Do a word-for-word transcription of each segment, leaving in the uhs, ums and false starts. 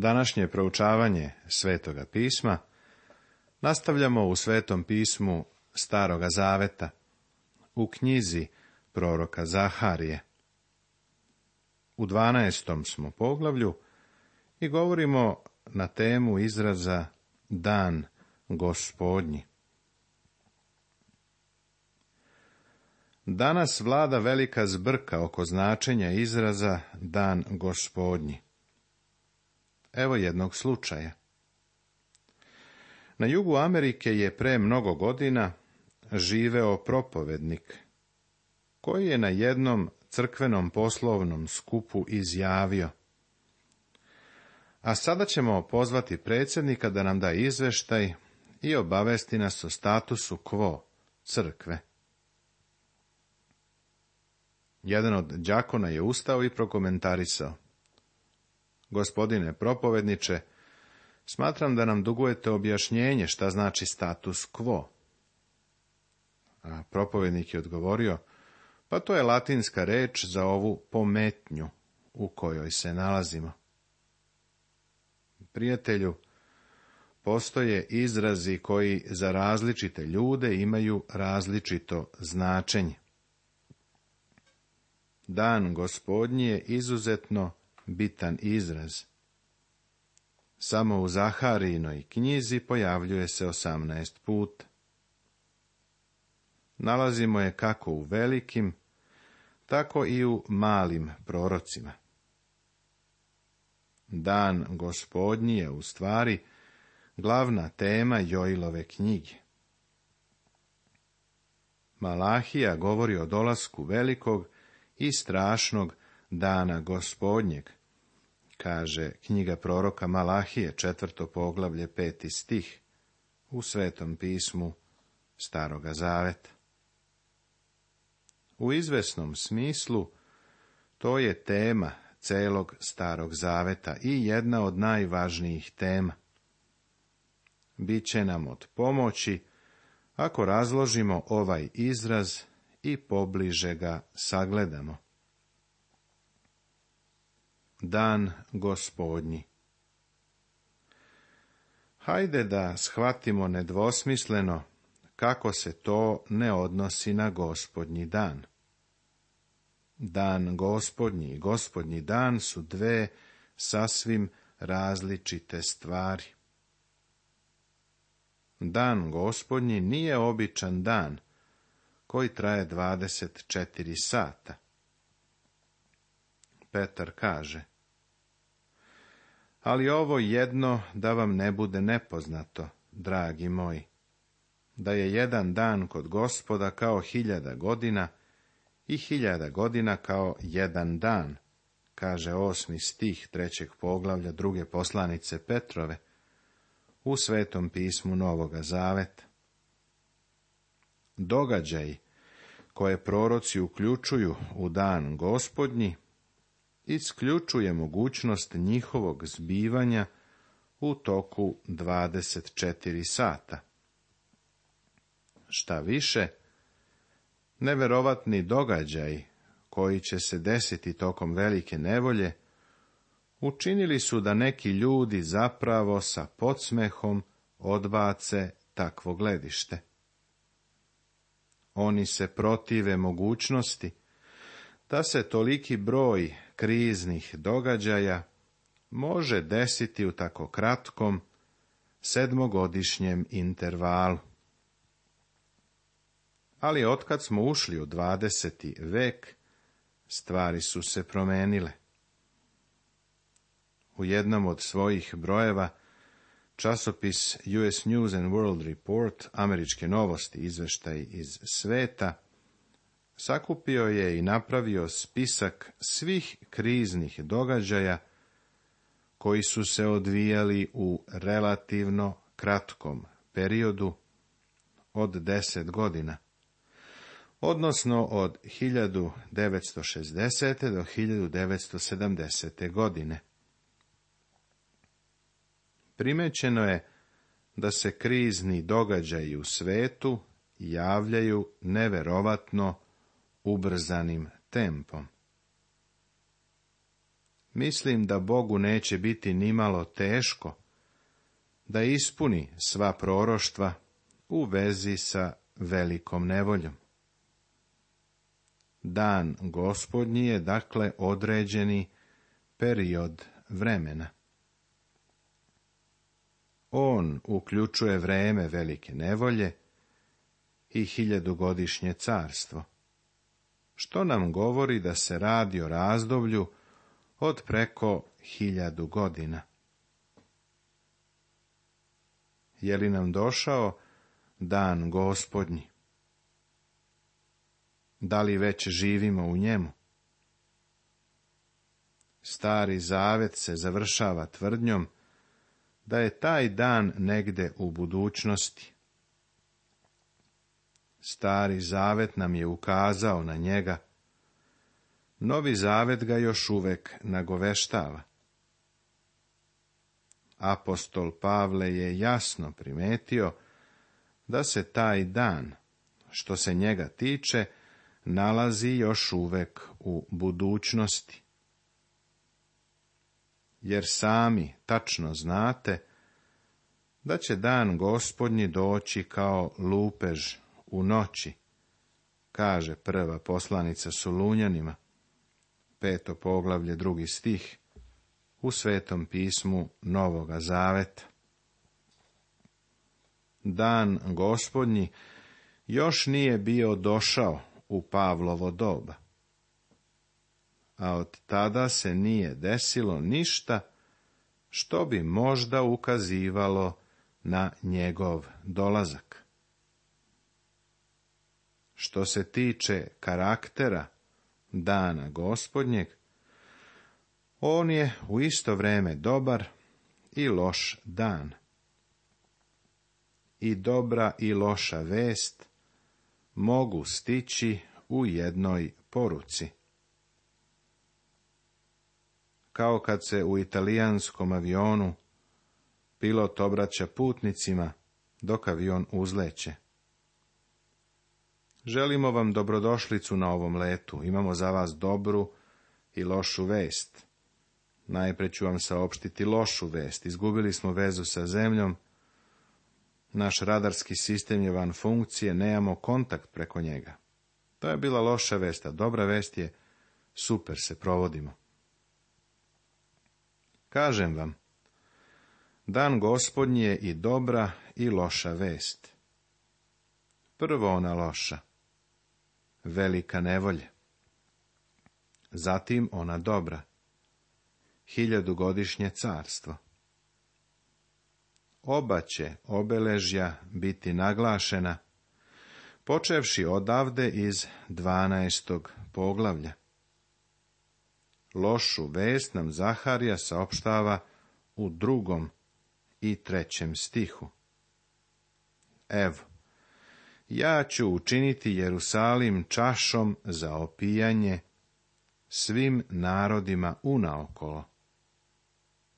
Današnje proučavanje Svetoga pisma nastavljamo u Svetom pismu Staroga zaveta, u knjizi proroka Zaharije. U dvanaestom smo poglavlju i govorimo na temu izraza Dan Gospodnji. Danas vlada velika zbrka oko značenja izraza Dan Gospodnji. Evo jednog slučaja. Na jugu Amerike je pre mnogo godina živeo propovednik, koji je na jednom crkvenom poslovnom skupu izjavio: a sada ćemo pozvati predsjednika da nam da izveštaj i obavesti nas o statusu quo crkve. Jedan od đakona je ustao i prokomentarisao: gospodine propovedniče, smatram da nam dugujete objašnjenje šta znači status quo. A propovednik je odgovorio: pa to je latinska reč za ovu pometnju u kojoj se nalazimo. Prijatelju, postoje izrazi koji za različite ljude imaju različito značenje. Dan Gospodnji je izuzetno bitan izraz. Samo u Zaharijinoj knjizi pojavljuje se osamnaest puta. Nalazimo je kako u velikim, tako i u malim prorocima. Dan Gospodnji je u stvari glavna tema Joilove knjige. Malahija govori o dolasku velikog i strašnog dana Gospodnjeg, kaže knjiga proroka Malahije, četvrto poglavlje, peti stih, u Svetom pismu Staroga zaveta. U izvesnom smislu, to je tema celog Starog zaveta i jedna od najvažnijih tema. Biće nam od pomoći ako razložimo ovaj izraz i pobliže ga sagledamo. Dan Gospodnji. Hajde da shvatimo nedvosmisleno kako se to ne odnosi na Gospodnji dan. Dan Gospodnji i Gospodnji dan su dve sasvim različite stvari. Dan Gospodnji nije običan dan koji traje dvadeset četiri sata. Petar kaže: ali ovo jedno da vam ne bude nepoznato, dragi moji, da je jedan dan kod Gospoda kao hiljada godina i hiljada godina kao jedan dan, kaže osmi stih trećeg poglavlja druge poslanice Petrove u Svetom pismu Novoga zaveta. Događaji koje proroci uključuju u dan Gospodnji isključuje mogućnost njihovog zbivanja u toku dvadeset četiri sata. Šta više, neverovatni događaj koji će se desiti tokom velike nevolje učinili su da neki ljudi zapravo sa podsmehom odbace takvo gledište. Oni se protive mogućnosti da se toliki broj kriznih događaja može desiti u tako kratkom sedmogodišnjem intervalu. Ali otkad smo ušli u dvadeseti vek, stvari su se promenile. U jednom od svojih brojeva časopis U S News and World Report, američke novosti, izveštaj iz sveta, sakupio je i napravio spisak svih kriznih događaja koji su se odvijali u relativno kratkom periodu od deset godina, odnosno od hiljadu devetsto šezdesete do hiljadu devetsto sedamdesete godine. Primećeno je da se krizni događaji u svetu javljaju neverovatno ubrzanim tempom. mislim da Bogu neće biti nimalo teško da ispuni sva proroštva u vezi sa velikom nevoljom. Dan Gospodnji je dakle određeni period vremena. On uključuje vreme velike nevolje i hiljadugodišnje carstvo, što nam govori da se radi o razdoblju od preko hiljadu godina. Je li nam došao dan Gospodnji? Da li već živimo u njemu? Stari Zavet se završava tvrdnjom da je taj dan negde u budućnosti. Stari Zavet nam je ukazao na njega, Novi Zavet ga još uvek nagoveštava. Apostol Pavle je jasno primetio da se taj dan, što se njega tiče, nalazi još uvek u budućnosti. Jer sami tačno znate da će dan Gospodnji doći kao lupež u noći, kaže prva poslanica Solunjanima, peto poglavlje, drugi stih, u Svetom pismu Novoga Zaveta. Dan Gospodnji još nije bio došao u Pavlovo doba, a od tada se nije desilo ništa što bi možda ukazivalo na njegov dolazak. Što se tiče karaktera dana Gospodnjeg, on je u isto vrijeme dobar i loš dan. I dobra i loša vest mogu stići u jednoj poruci. Kao kad se u italijanskom avionu pilot obraća putnicima dok avion uzleće. Želimo vam dobrodošlicu na ovom letu, imamo za vas dobru i lošu vest. Najprije ću vam saopštiti lošu vest, izgubili smo vezu sa zemljom, naš radarski sistem je van funkcije, nemamo kontakt preko njega. To je bila loša vest, a dobra vest je, super se provodimo. Kažem vam, dan Gospodnji je i dobra i loša vest. Prvo ona loša, velika nevolja. Zatim ona dobra, hiljadugodišnje carstvo. Oba će obeležja biti naglašena, počevši odavde iz dvanaestog poglavlja. Lošu vest nam Zaharija saopštava u drugom i trećem stihu. Evo, ja ću učiniti Jerusalim čašom za opijanje svim narodima unaokolo,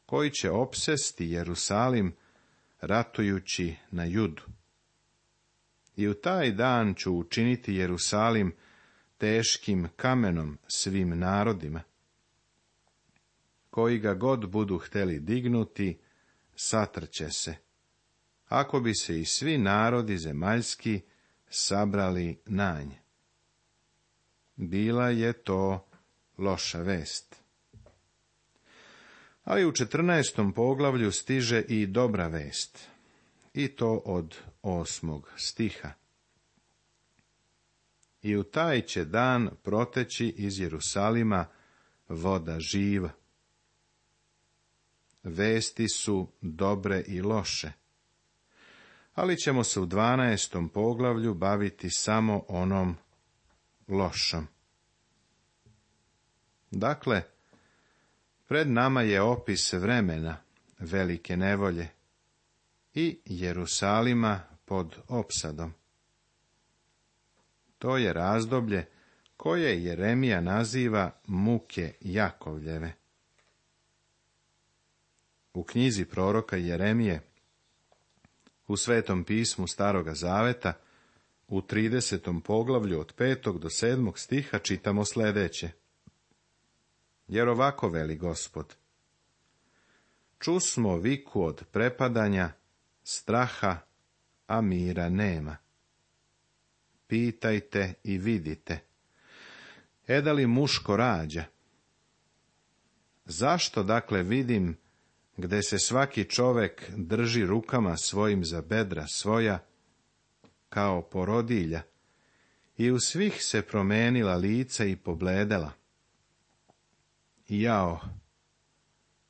koji će opsesti Jerusalim ratujući na Judu. I u taj dan ću učiniti Jerusalim teškim kamenom svim narodima, koji ga god budu hteli dignuti, satrće se, ako bi se i svi narodi zemaljski sabrali na nje. Bila je to loša vest. Ali u četrnaestom poglavlju stiže i dobra vest, i to od osmog stiha. I u taj će dan proteći iz Jerusalima voda živa. Vesti su dobre i loše, ali ćemo se u dvanaestom poglavlju baviti samo onom lošom. Dakle, pred nama je opis vremena velike nevolje i Jerusalima pod opsadom. To je razdoblje koje Jeremija naziva muke Jakovljeve. U knjizi proroka Jeremije, u Svetom pismu Staroga Zaveta, u tridesetom poglavlju od petog do sedmog stiha čitamo sljedeće. jer ovako veli Gospod. Čusmo viku od prepadanja, straha, a mira nema. Pitajte i vidite. Eda li muško rađa? Zašto dakle vidim, gde se svaki čovek drži rukama svojim za bedra svoja, kao porodilja, i u svih se promenila lica i pobledela? Jao,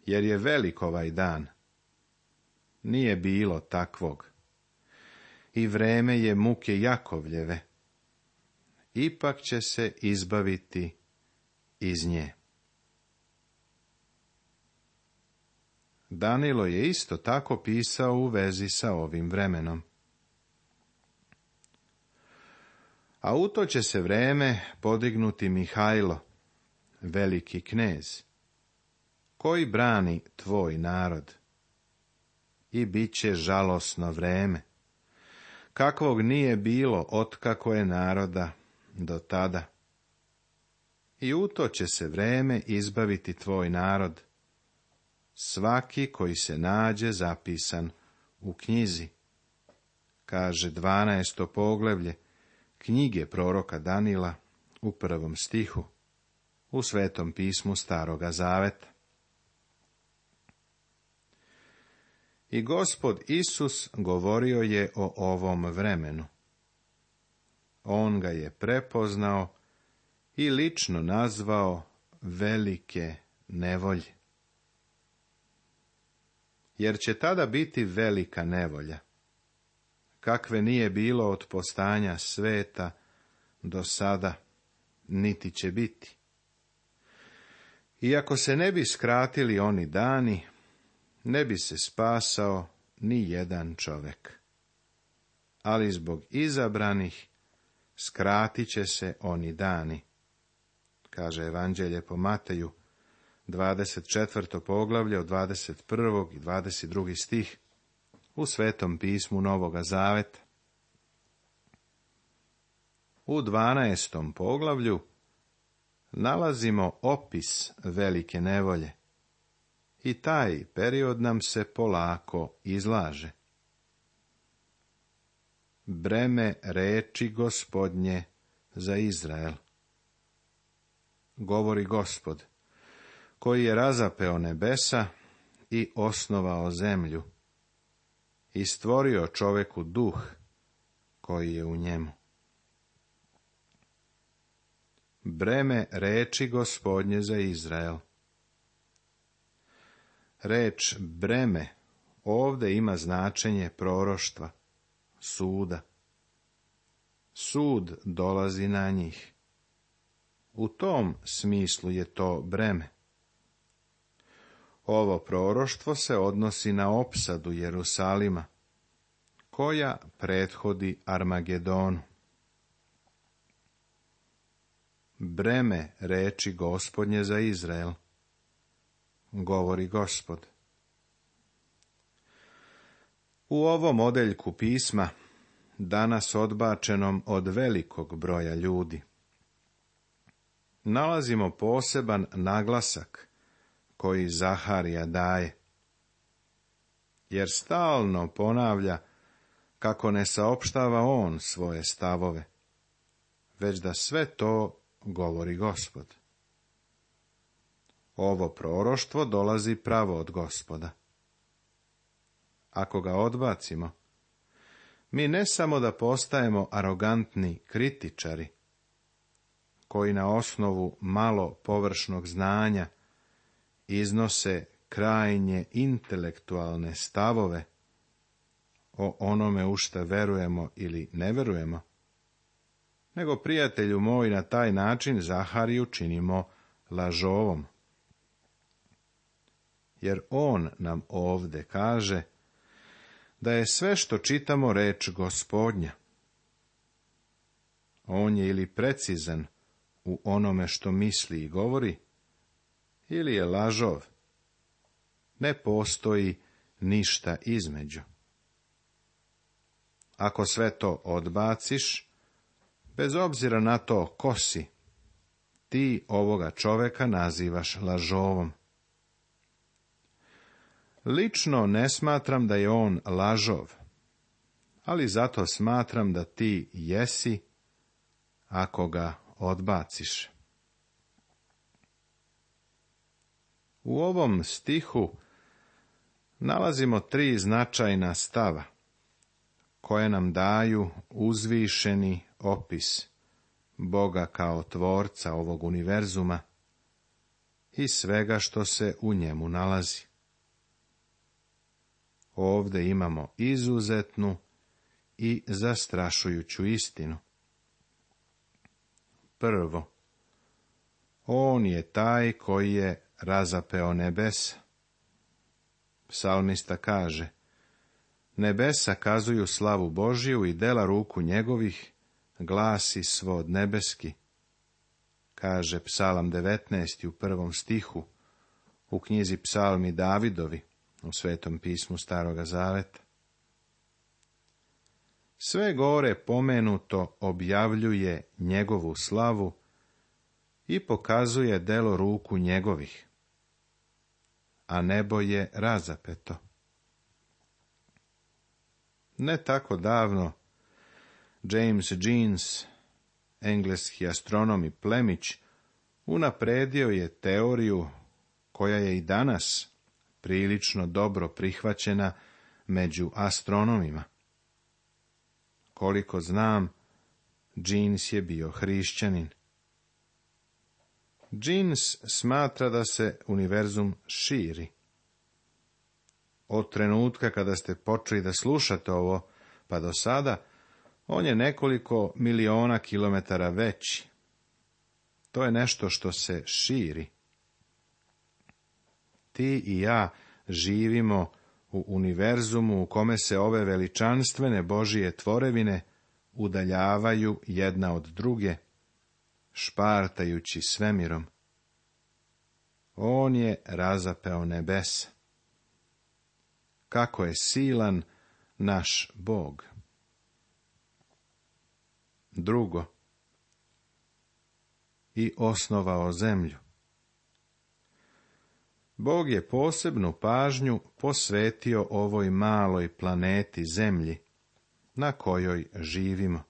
jer je velik ovaj dan. Nije bilo takvog. I vreme je muke Jakovljeve. Ipak će se izbaviti iz nje. Danilo je isto tako pisao u vezi sa ovim vremenom. A u to će se vreme podignuti Mihajlo, veliki knez, koji brani tvoj narod. I bit će žalosno vreme, kakvog nije bilo otkako je naroda do tada. I u to će se vreme izbaviti tvoj narod, svaki koji se nađe zapisan u knjizi, kaže dvanaesto poglavlje knjige proroka Danila u prvom stihu, u Svetom pismu Staroga Zaveta. I Gospod Isus govorio je o ovom vremenu. On ga je prepoznao i lično nazvao velike nevolje. Jer će tada biti velika nevolja, kakve nije bilo od postanja sveta do sada, niti će biti. Iako se ne bi skratili oni dani, ne bi se spasao ni jedan čovek. Ali zbog izabranih skratit će se oni dani, kaže Evanđelje po Mateju, dvadeset četvrto poglavlje od dvadeset prvog i dvadeset drugog stih u Svetom pismu Novoga Zaveta. U dvanaestom poglavlju nalazimo opis velike nevolje i taj period nam se polako izlaže. Breme reči Gospodnje za Izrael. Govori Gospod, koji je razapeo nebesa i osnovao zemlju i stvorio čoveku duh koji je u njemu. Breme reči Gospodnje za Izrael. Reč breme ovde ima značenje proroštva, suda. Sud dolazi na njih. U tom smislu je to breme. Ovo proroštvo se odnosi na opsadu Jerusalima, koja prethodi Armagedonu. Breme reči Gospodnje za Izrael, govori Gospod. U ovom odeljku pisma, danas odbačenom od velikog broja ljudi, nalazimo poseban naglasak koji Zaharija daje, jer stalno ponavlja kako ne saopštava on svoje stavove, već da sve to govori Gospod. Ovo proroštvo dolazi pravo od Gospoda. Ako ga odbacimo, mi ne samo da postajemo arogantni kritičari, koji na osnovu malo površnog znanja iznose krajnje intelektualne stavove o onome u šta verujemo ili ne verujemo, nego, prijatelju moj, na taj način Zahariju činimo lažovom. Jer on nam ovde kaže da je sve što čitamo reč Gospodnja. On je ili precizan u onome što misli i govori, ili je lažov. Ne postoji ništa između. Ako sve to odbaciš, bez obzira na to ko si, ti ovoga čoveka nazivaš lažovom. Lično ne smatram da je on lažov, ali zato smatram da ti jesi ako ga odbaciš. U ovom stihu nalazimo tri značajna stava, koje nam daju uzvišeni opis Boga kao tvorca ovog univerzuma i svega što se u njemu nalazi. Ovde imamo izuzetnu i zastrašujuću istinu. Prvo, on je taj koji je razapeo nebesa. Psalmista kaže, nebesa kazuju slavu Božiju i dela ruku njegovih, glasi svod nebeski. Kaže Psalam devetnaesti u prvom stihu, u knjizi Psalmi Davidovi, u Svetom pismu Staroga Zaveta. Sve gore pomenuto objavljuje njegovu slavu i pokazuje delo ruku njegovih, a nebo je razapeto. Ne tako davno, James Jeans, engleski astronom i plemić, unapredio je teoriju koja je i danas prilično dobro prihvaćena među astronomima. Koliko znam, Jeans je bio hrišćanin. Jeans smatra da se univerzum širi. Od trenutka kada ste počeli da slušate ovo, pa do sada, on je nekoliko miliona kilometara veći. To je nešto što se širi. Ti i ja živimo u univerzumu u kome se ove veličanstvene Božije tvorevine udaljavaju jedna od druge, špartajući svemirom. On je razapeo nebesa. Kako je silan naš Bog. Drugo, i osnovao zemlju. Bog je posebnu pažnju posvetio ovoj maloj planeti Zemlji, na kojoj živimo.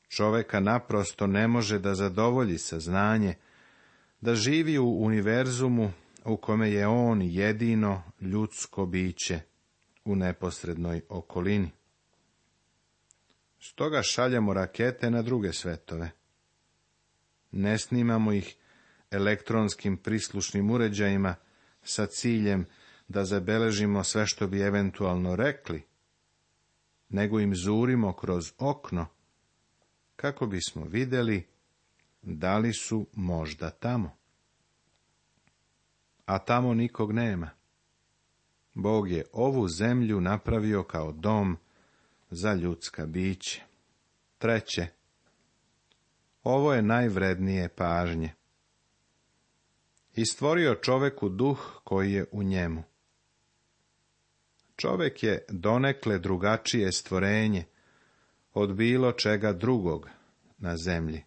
Čoveka naprosto ne može da zadovolji saznanje da živi u univerzumu u kome je on jedino ljudsko biće u neposrednoj okolini. Stoga šaljemo rakete na druge svetove. Ne snimamo ih elektronskim prislušnim uređajima sa ciljem da zabeležimo sve što bi eventualno rekli, nego im zurimo kroz okno, kako bismo vidjeli da li su možda tamo. A tamo nikog nema. Bog je ovu zemlju napravio kao dom za ljudska bića. Treće, ovo je najvrednije pažnje. I stvorio čoveku duh koji je u njemu. Čovek je donekle drugačije stvorenje od bilo čega drugog na zemlji.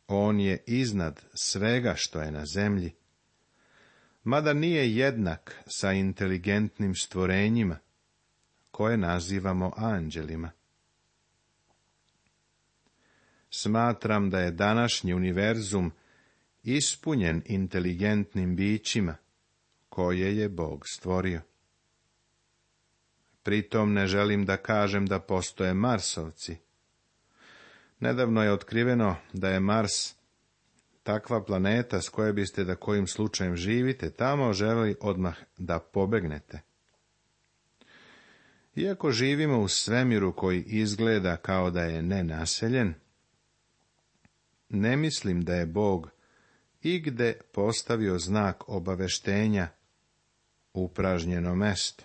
On je iznad svega što je na zemlji, mada nije jednak sa inteligentnim stvorenjima, koje nazivamo anđelima. Smatram da je današnji univerzum ispunjen inteligentnim bićima, koje je Bog stvorio. Pritom ne želim da kažem da postoje Marsovci. Nedavno je otkriveno da je Mars takva planeta s koje biste da kojim slučajem živite tamo želi odmah da pobegnete. Iako živimo u svemiru koji izgleda kao da je nenaseljen, ne mislim da je Bog igde postavio znak obaveštenja upražnjeno mesto.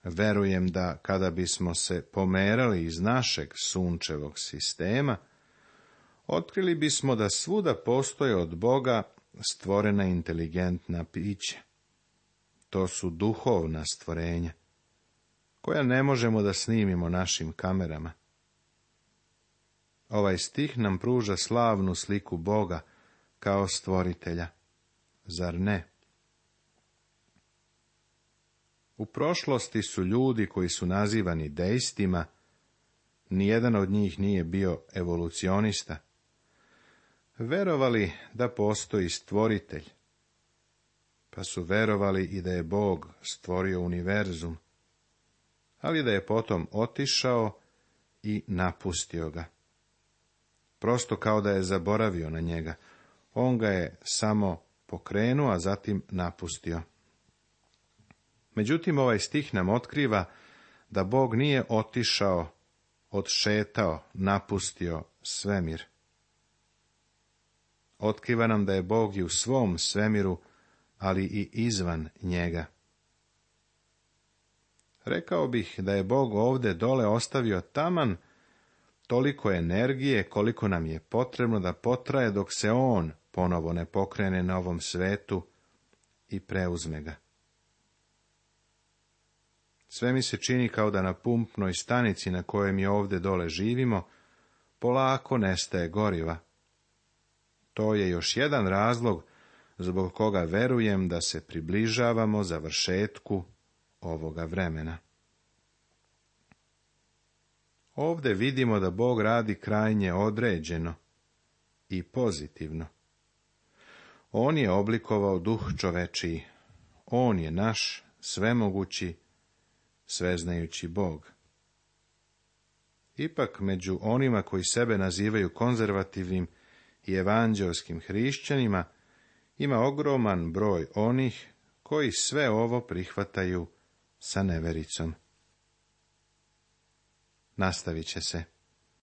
Verujem da kada bismo se pomerali iz našeg sunčevog sistema, otkrili bismo da svuda postoje od Boga stvorena inteligentna bića. To su duhovna stvorenja, koja ne možemo da snimimo našim kamerama. Ovaj stih nam pruža slavnu sliku Boga kao stvoritelja. Zar ne? U prošlosti su ljudi koji su nazivani deistima, nijedan od njih nije bio evolucionista, verovali da postoji stvoritelj, pa su verovali i da je Bog stvorio univerzum, ali da je potom otišao i napustio ga. Prosto kao da je zaboravio na njega. On ga je samo pokrenuo, a zatim napustio. Međutim, ovaj stih nam otkriva da Bog nije otišao, odšetao, napustio svemir. Otkriva nam da je Bog i u svom svemiru, ali i izvan njega. Rekao bih da je Bog ovde dole ostavio taman toliko energije koliko nam je potrebno da potraje dok se on ponovo ne pokrene na ovom svetu i preuzme ga. Sve mi se čini kao da na pumpnoj stanici na kojoj mi ovde dole živimo, polako nestaje goriva. To je još jedan razlog zbog koga verujem da se približavamo završetku ovoga vremena. Ovde vidimo da Bog radi krajnje određeno i pozitivno. On je oblikovao duh čovečiji. On je naš svemogući, sveznajući Bog. Ipak među onima koji sebe nazivaju konzervativnim i evanđelskim hrišćanima ima ogroman broj onih koji sve ovo prihvataju sa nevericom. Nastavit će se.